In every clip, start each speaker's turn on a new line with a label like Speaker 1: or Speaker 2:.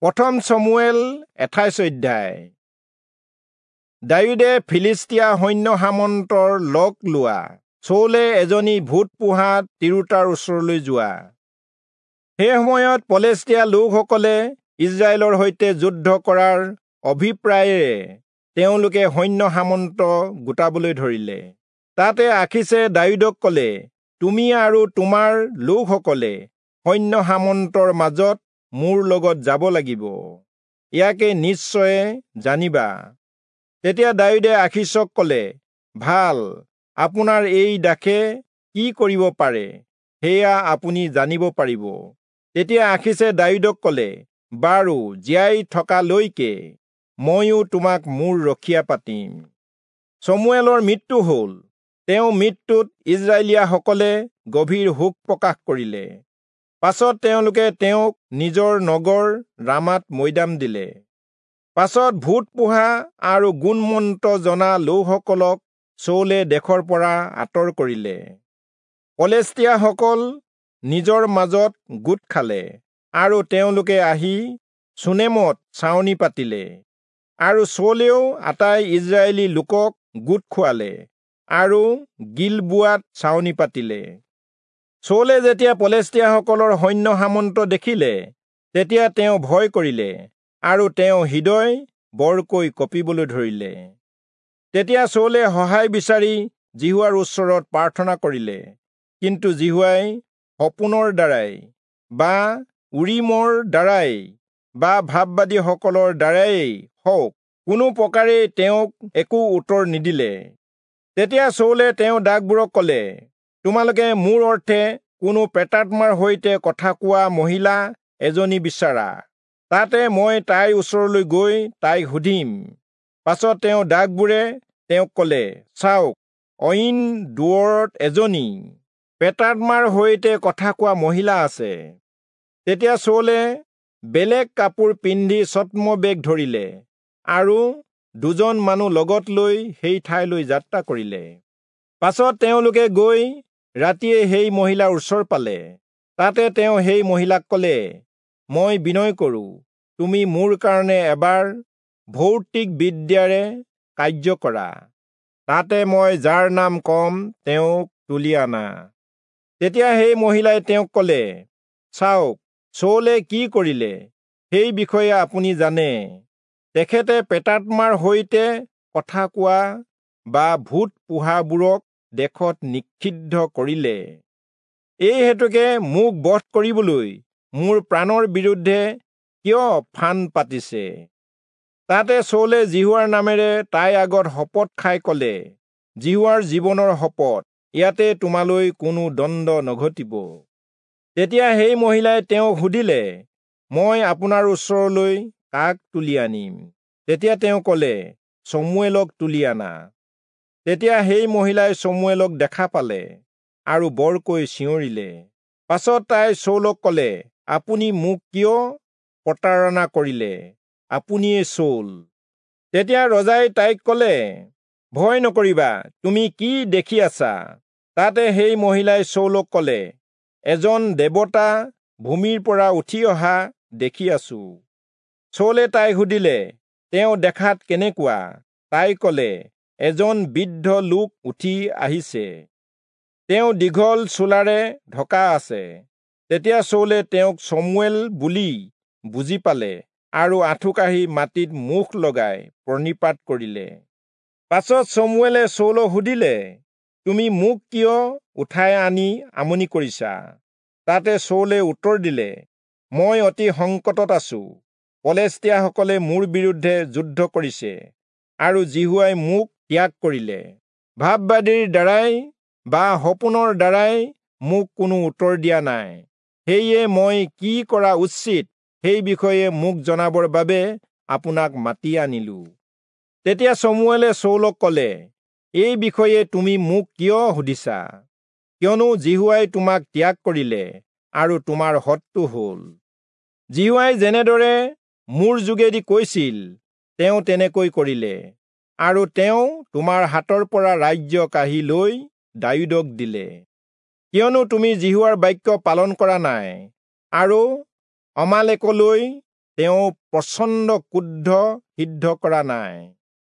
Speaker 1: প্ৰথম চমুৱেল 28 অধ্যায়। দায়ূদে ফিলিস্তীয়া সৈন্য সামন্তৰ লগ লোৱা। চৌলে এজনী ভূত পোহা তিৰোতাৰ ওচৰলৈ যোৱা। সেই সময়ত পলেষ্টীয়া লোকসকলে ইজৰাইলৰ সৈতে যুদ্ধ কৰাৰ অভিপ্ৰায়েৰে তেওঁলোকে সৈন্য সামন্ত গোটাবলৈ ধৰিলে। তাতে আখীচে দায়ূদক ক'লে, তুমি আৰু তোমাৰ লোকসকলে সৈন্য সামন্তৰ মাজত মোৰ লগত যাব লাগিব, ইয়াকে নিশ্চয়ে জানিবা। তেতিয়া দায়ূদে আখীচক ক'লে, ভাল, আপোনাৰ এই দাসে কি কৰিব পাৰে সেয়া আপুনি জানিব পাৰিব। তেতিয়া আখীচে দায়ূদক ক'লে, বাৰু, জীয়াই থকালৈকে ময়ো তোমাক মোৰ ৰখীয়া পাতিম। চমুৱেলৰ মৃত্যু হ'ল। তেওঁ মৃত্যুত ইজৰাইলীয়াসকলে গভীৰ শোক প্ৰকাশ কৰিলে। পাছত তেওঁলোকে তেওঁক নিজৰ নগৰ ৰামাত মৈদাম দিলে। পাছত ভূত পোহা আৰু গুণমন্ত্ৰ জনা লোকসকলক চৌলে দেশৰ পৰা আঁতৰ কৰিলে। পলেষ্টীয়াসকল নিজৰ মাজত গোট খালে আৰু তেওঁলোকে আহি চুনেমত ছাউনি পাতিলে। আৰু চৌলেও আটাই ইজৰাইলী লোকক গোট খুৱালে আৰু গিলবোৱাত ছাউনি পাতিলে। চৌলে যেতিয়া পলেষ্টীয়াসকলৰ সৈন্য সামন্ত দেখিলে, তেতিয়া তেওঁ ভয় কৰিলে আৰু তেওঁ হৃদয় বৰকৈ কঁপিবলৈ ধৰিলে। তেতিয়া চৌলে সহায় বিচাৰি যিহোৱাৰ ওচৰত প্ৰাৰ্থনা কৰিলে। কিন্তু যিহোৱাই সপোনৰ দ্বাৰাই বা উৰীমৰ দ্বাৰাই বা ভাববাদীসকলৰ দ্বাৰাই হওক কোনো প্ৰকাৰেই তেওঁক একো উত্তৰ নিদিলে। তেতিয়া চৌলে তেওঁ দাসবোৰক ক'লে, তোমালোকে মোৰ অৰ্থে কোনো প্ৰেতাত্মাৰ সৈতে কথা কোৱা মহিলা এজনী বিচাৰা, তাতে মই তাইৰ ওচৰলৈ গৈ তাইক সুধিম। পাছত তেওঁ দাসবোৰে তেওঁক ক'লে, চাওক, অইন দূৰত এজনী প্ৰেতাত্মাৰ সৈতে কথা কোৱা মহিলা আছে। তেতিয়া চৌলে বেলেগ কাপোৰ পিন্ধি ছদ্মবেশ ধৰিলে আৰু দুজন মানুহ লগত লৈ সেই ঠাইলৈ যাত্ৰা কৰিলে। পাছত তেওঁলোকে গৈ ৰাতিয়ে সেই মহিলাৰ ওচৰ পালে। তাতে তেওঁ সেই মহিলাক ক'লে, মই বিনয় কৰোঁ, তুমি মোৰ কাৰণে এবাৰ ভৌতিক বিদ্যাৰে কাৰ্য কৰা, তাতে মই যাৰ নাম কম তেওঁক তুলি আনা। তেতিয়া সেই মহিলাই তেওঁক ক'লে, চাওক, চৌলে কি কৰিলে সেই বিষয়ে আপুনি জানে। তেখেতে প্ৰেতাত্মাৰ সৈতে কথা কোৱা বা ভূত পোহাবোৰক দেশত নিষিদ্ধ কৰিলে। এই হেতুকে মোক বধ কৰিবলৈ মোৰ প্ৰাণৰ বিৰুদ্ধে কিয় ফান পাতিছে? তাতে চৌলে যিহোৱাৰ নামেৰে তাইৰ আগত শপত খাই ক'লে, যিহোৱাৰ জীৱনৰ শপত, ইয়াতে তোমালৈ কোনো দণ্ড নঘটিব। তেতিয়া সেই মহিলাই তেওঁক সুধিলে, মই আপোনাৰ ওচৰলৈ কাক তুলি আনিম? তেতিয়া তেওঁ ক'লে, চমুৱেলক তুলি আনা। তেতিয়া সেই মহিলাই চমুৱেলক দেখা পালে আৰু বৰকৈ চিঞৰিলে। পাছত তাই চৌলক ক'লে, আপুনি মোক কিয় প্ৰতাৰণা কৰিলে? আপুনিয়ে চৌল। তেতিয়া ৰজাই তাইক ক'লে, ভয় নকৰিবা, তুমি কি দেখি আছা? তাতে সেই মহিলাই চৌলক ক'লে, এজন দেৱতা ভূমিৰ পৰা উঠি অহা দেখি আছো। চৌলে তাইক সুধিলে, তেওঁ দেখাত কেনেকুৱা? তাই ক'লে, এজন বৃদ্ধ লোক উঠি আহিছে, তেওঁ দীঘল চোলাৰে ঢকা আছে। তেতিয়া চৌলে তেওঁক চমুৱেল বুলি বুজি পালে আৰু আঁঠুকাঢ়ি মাটিত মুখ লগাই প্ৰণিপাত কৰিলে। পাছত চমুৱেলে চৌলক সুধিলে, তুমি মোক কিয় উঠাই আনি আমনি কৰিছা? তাতে চৌলে উত্তৰ দিলে, মই অতি সংকটত আছো। পলেষ্টীয়াসকলে মোৰ বিৰুদ্ধে যুদ্ধ কৰিছে আৰু যিহোৱাই মোক ত্যাগ কৰিলে। ভাববাদীৰ দ্বাৰাই বা সপোনৰ দ্বাৰাই মোক কোনো উত্তৰ দিয়া নাই। সেয়ে মই কি কৰা উচিত সেই বিষয়ে মোক জনাবৰ বাবে আপোনাক মাতি আনিলো। তেতিয়া চমুৱেলে চৌলক ক'লে, এই বিষয়ে তুমি মোক কিয় সুধিছা? কিয়নো যিহোৱাই তোমাক ত্যাগ কৰিলে আৰু তোমাৰ শত্ৰু হ'ল। যিহোৱাই যেনেদৰে মোৰ যোগেদি কৈছিল, তেওঁ তেনেকৈ কৰিলে, আৰু তেওঁ তোমাৰ হাতৰ পৰা ৰাজ্য কাঢ়ি লৈ দায়ূদক দিলে। কিয়নো তুমি যিহোৱাৰ বাক্য পালন কৰা নাই আৰু অমালেকলৈ তেওঁ প্ৰচণ্ড ক্ৰোধ সিদ্ধ কৰা নাই।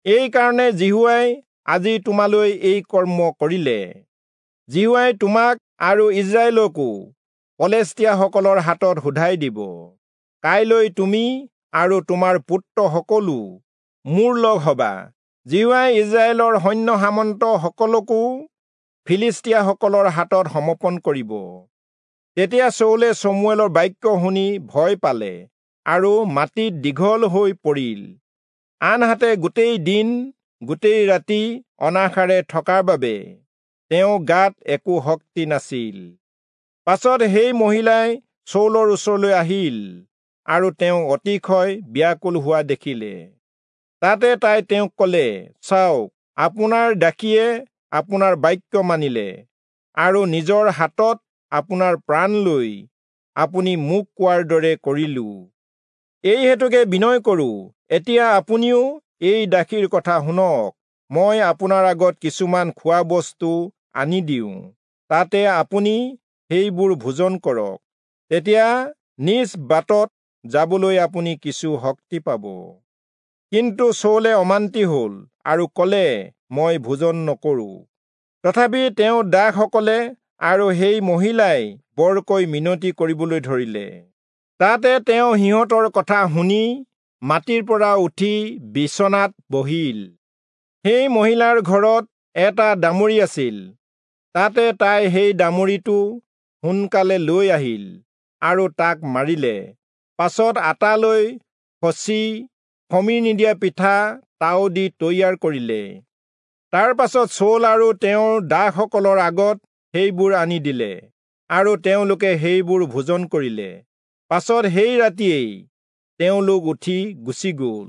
Speaker 1: এই কাৰণে যিহোৱাই আজি তোমালৈ এই কৰ্ম কৰিলে। যিহোৱাই তোমাক আৰু ইস্ৰায়েলকো পলেষ্টীয়াসকলৰ হাতত শোধাই দিব। কাইলৈ তুমি আৰু তোমাৰ পুত্ৰসকলো মোৰ লগ হবা। যিহোৱাই ইস্ৰায়েলৰ সৈন্য সামন্ত সকলকো ফিলিষ্টীয়াসকলৰ হাতত সমৰ্পণ কৰিব। তেতিয়া চৌলে চমুৱেলৰ বাক্য শুনি ভয় পালে আৰু মাটিত দীঘল হৈ পৰিল। আনহাতে গোটেই দিন গোটেই ৰাতি অনাহাৰে থকাৰ বাবে তেওঁ গাত একো শক্তি নাছিল। পাছত সেই মহিলাই চৌলৰ ওচৰলৈ আহিল আৰু তেওঁ অতিশয় ব্যাকুল হোৱা দেখিলে। তাতে তাই তেওঁক কলে, চাওক, আপোনাৰ দাসীয়ে আপোনাৰ বাক্য মানিলে আৰু নিজৰ হাতত আপোনাৰ প্ৰাণ লৈ আপুনি মোক কোৱাৰ দৰে কৰিলো। এই হেতুকে বিনয় কৰো, এতিয়া আপুনিও এই দাসীৰ কথা শুনক। মই আপোনাৰ আগত কিছুমান খোৱা বস্তু আনি দিওঁ, তাতে আপুনি সেইবোৰ ভোজন কৰক, তেতিয়া নিজ বাটত যাবলৈ আপুনি কিছু শক্তি পাব। কিন্তু চৌলে অমান্তি হল আৰু কলে, মই ভোজন নকৰো। তথাপি তেওঁ দাসসকলে আৰু সেই মহিলাই বৰকৈ মিনতি কৰিবলৈ ধৰিলে। তাতে তেওঁ সিহঁতৰ কথা শুনি মাটিৰ পৰা উঠি বিচনাত বহিল। সেই মহিলাৰ ঘৰত এটা দামুৰি আছিল। তাতে তাই সেই দামুৰিটো সোনকালে লৈ আহিল আৰু তাক মাৰিলে। পাছত আটা লৈ খচি খমিৰ নিদিয়া পিঠা তাও দি তৈয়াৰ কৰিলে। তাৰ পাছত চৌল আৰু তেওঁৰ দাসসকলৰ আগত সেইবোৰ আনি দিলে আৰু তেওঁলোকে সেইবোৰ ভোজন কৰিলে। পাছত সেই ৰাতিয়েই তেওঁলোক উঠি গুচি গ'ল।